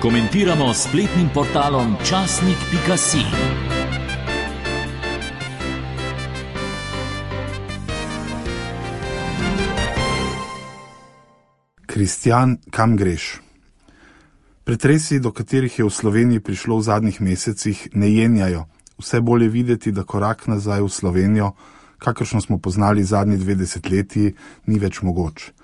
Komentiramo s spletnim portalom časnik.si. Kristjan, kam greš? Pretresi, do katerih je v Sloveniji prišlo v zadnjih mesecih, ne jenjajo. Vse bolje videti, da korak nazaj v Slovenijo, kakršno smo poznali zadnji 2 desetletji, ni več mogoč.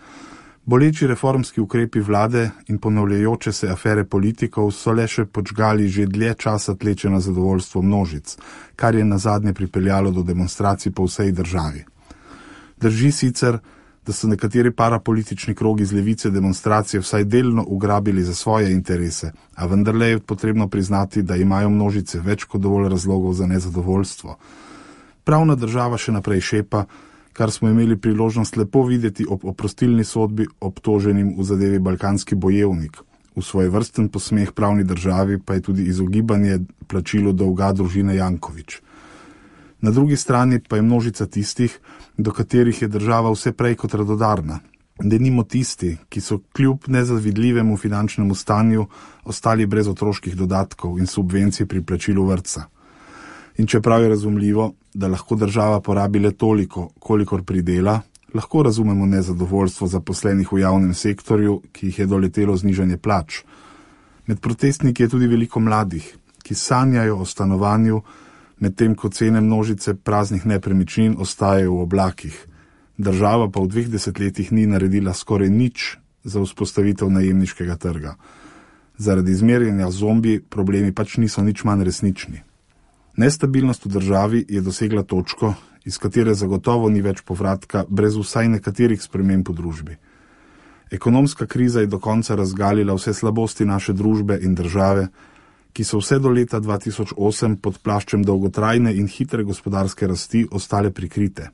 Boleči reformski ukrepi vlade in ponavljajoče se afere politikov so le še podžgali že dlje časa tleče na zadovoljstvo množic, kar je nazadnje pripeljalo do demonstracij po vsej državi. Drži sicer, da so nekateri parapolitični krogi z levice demonstracije vsaj delno ugrabili za svoje interese, a vendarle je potrebno priznati, da imajo množice več kot dovolj razlogov za nezadovoljstvo. Pravna država še naprej šepa, kar smo imeli priložnost lepo videti ob oprostilni sodbi obtoženim v zadevi Balkanski bojevnik. V svojevrsten posmeh pravni državi pa je tudi izogibanje plačilu dolga družine Janković. Na drugi strani pa je množica tistih, do katerih je država vse prej kot radodarna. Denimo tisti, ki so kljub nezavidljivemu finančnemu stanju ostali brez otroških dodatkov in subvencij pri plačilu vrtca. In čeprav je razumljivo, da lahko država porabi le toliko, kolikor pridela, lahko razumemo nezadovoljstvo zaposlenih v javnem sektorju, ki jih je doletelo znižanje plač. Med protestniki je tudi veliko mladih, ki sanjajo o stanovanju, medtem ko cene množice praznih nepremičnin ostajajo v oblakih. Država pa v 2 desetletjih ni naredila skoraj nič za vzpostavitev najemniškega trga. Zaradi zmerjanja zombi problemi pač niso nič manj resnični. Nestabilnost v državi je dosegla točko, iz katere zagotovo ni več povratka brez vsaj nekaterih sprememb v družbi. Ekonomska kriza je do konca razgalila vse slabosti naše družbe in države, ki so vse do leta 2008 pod plaščem dolgotrajne in hitre gospodarske rasti ostale prikrite.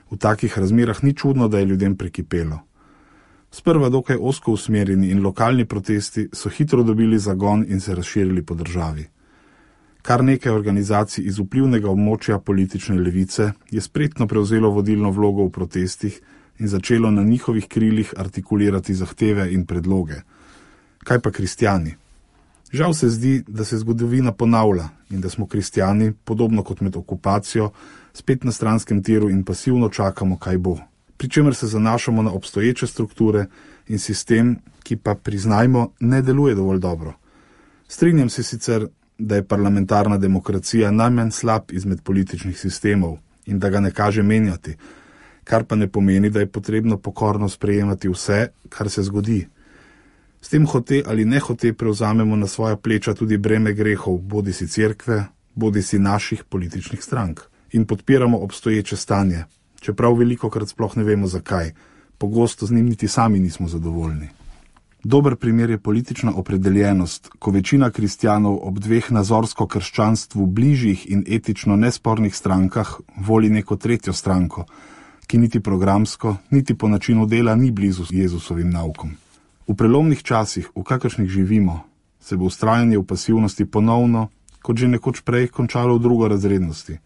V takih razmerah ni čudno, da je ljudem prekipelo. Sprva dokaj ozko usmerjeni in lokalni protesti so hitro dobili zagon in se razširili po državi. Kar nekaj organizacij iz vplivnega območja politične levice je spretno prevzelo vodilno vlogo v protestih in začelo na njihovih krilih artikulirati zahteve in predloge. Kaj pa kristjani? Žal se zdi, da se zgodovina ponavlja in da smo kristjani, podobno kot med okupacijo, spet na stranskem tiru in pasivno čakamo, kaj bo. Pričemer se zanašamo na obstoječe strukture in sistem, ki pa, priznajmo, ne deluje dovolj dobro. Strinjam se sicer, da je parlamentarna demokracija najmanj slab izmed političnih sistemov in da ga ne kaže menjati, kar pa ne pomeni, da je potrebno pokorno sprejemati vse, kar se zgodi. S tem hote ali nehote prevzamemo na svoja pleča tudi breme grehov, bodisi cerkve, bodisi naših političnih strank. In podpiramo obstoječe stanje, čeprav velikokrat sploh ne vemo zakaj. Pogosto z njim niti sami nismo zadovoljni. Dober primer je politična opredeljenost, ko večina kristjanov ob 2 nazorsko krščanstvu bližjih in etično nespornih strankah voli neko tretjo stranko, ki niti programsko, niti po načinu dela ni blizu Jezusovim naukom. V prelomnih časih, v kakršnih živimo, se bo vztrajanje v pasivnosti ponovno, kot že nekoč prej, končalo v drugorazrednosti.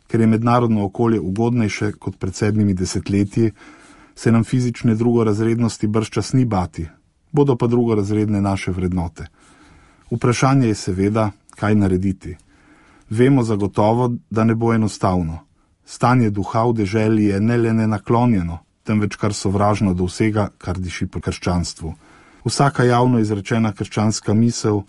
Ker je mednarodno okolje ugodnejše kot pred 7 desetletji, se nam fizične drugorazrednosti bržčas ni bati, bodo pa drugorazredne naše vrednote. Vprašanje je seveda, kaj narediti. Vemo zagotovo, da ne bo enostavno. Stanje duha v deželi je ne le nenaklonjeno, temveč kar sovražno do vsega, kar diši po krščanstvu. Vsaka javno izrečena krščanska misel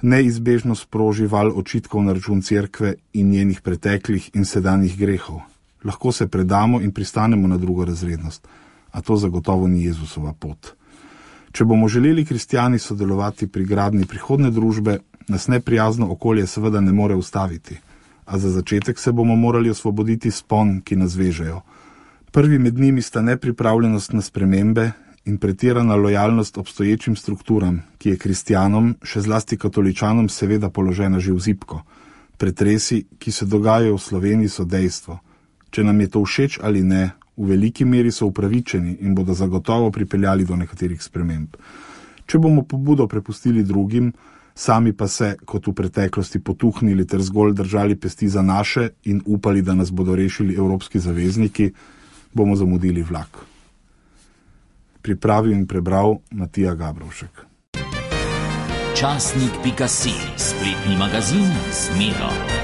neizbežno sproži val očitkov na račun cerkve in njenih preteklih in sedanjih grehov. Lahko se predamo in pristanemo na drugorazrednost, a to zagotovo ni Jezusova pot. Če bomo želeli kristjani sodelovati pri gradnji prihodne družbe, nas neprijazno okolje seveda ne more ustaviti, a za začetek se bomo morali osvoboditi spon, ki nas vežejo. Prvi med njimi sta nepripravljenost na spremembe in pretirana lojalnost obstoječim strukturam, ki je kristjanom, še zlasti katoličanom, seveda položena že v zibko. Pretresi, ki se dogajajo v Sloveniji, so dejstvo. Če nam je to všeč ali ne, v veliki meri so upravičeni in bodo zagotovo pripeljali do nekaterih sprememb. Če bomo pobudo prepustili drugim, sami pa se, kot v preteklosti, potuhnili ter zgolj držali pesti za naše in upali, da nas bodo rešili evropski zavezniki, bomo zamudili vlak. Pripravil in prebral Matija Gabrovšek. časnik.si, spletni magazin Zmero.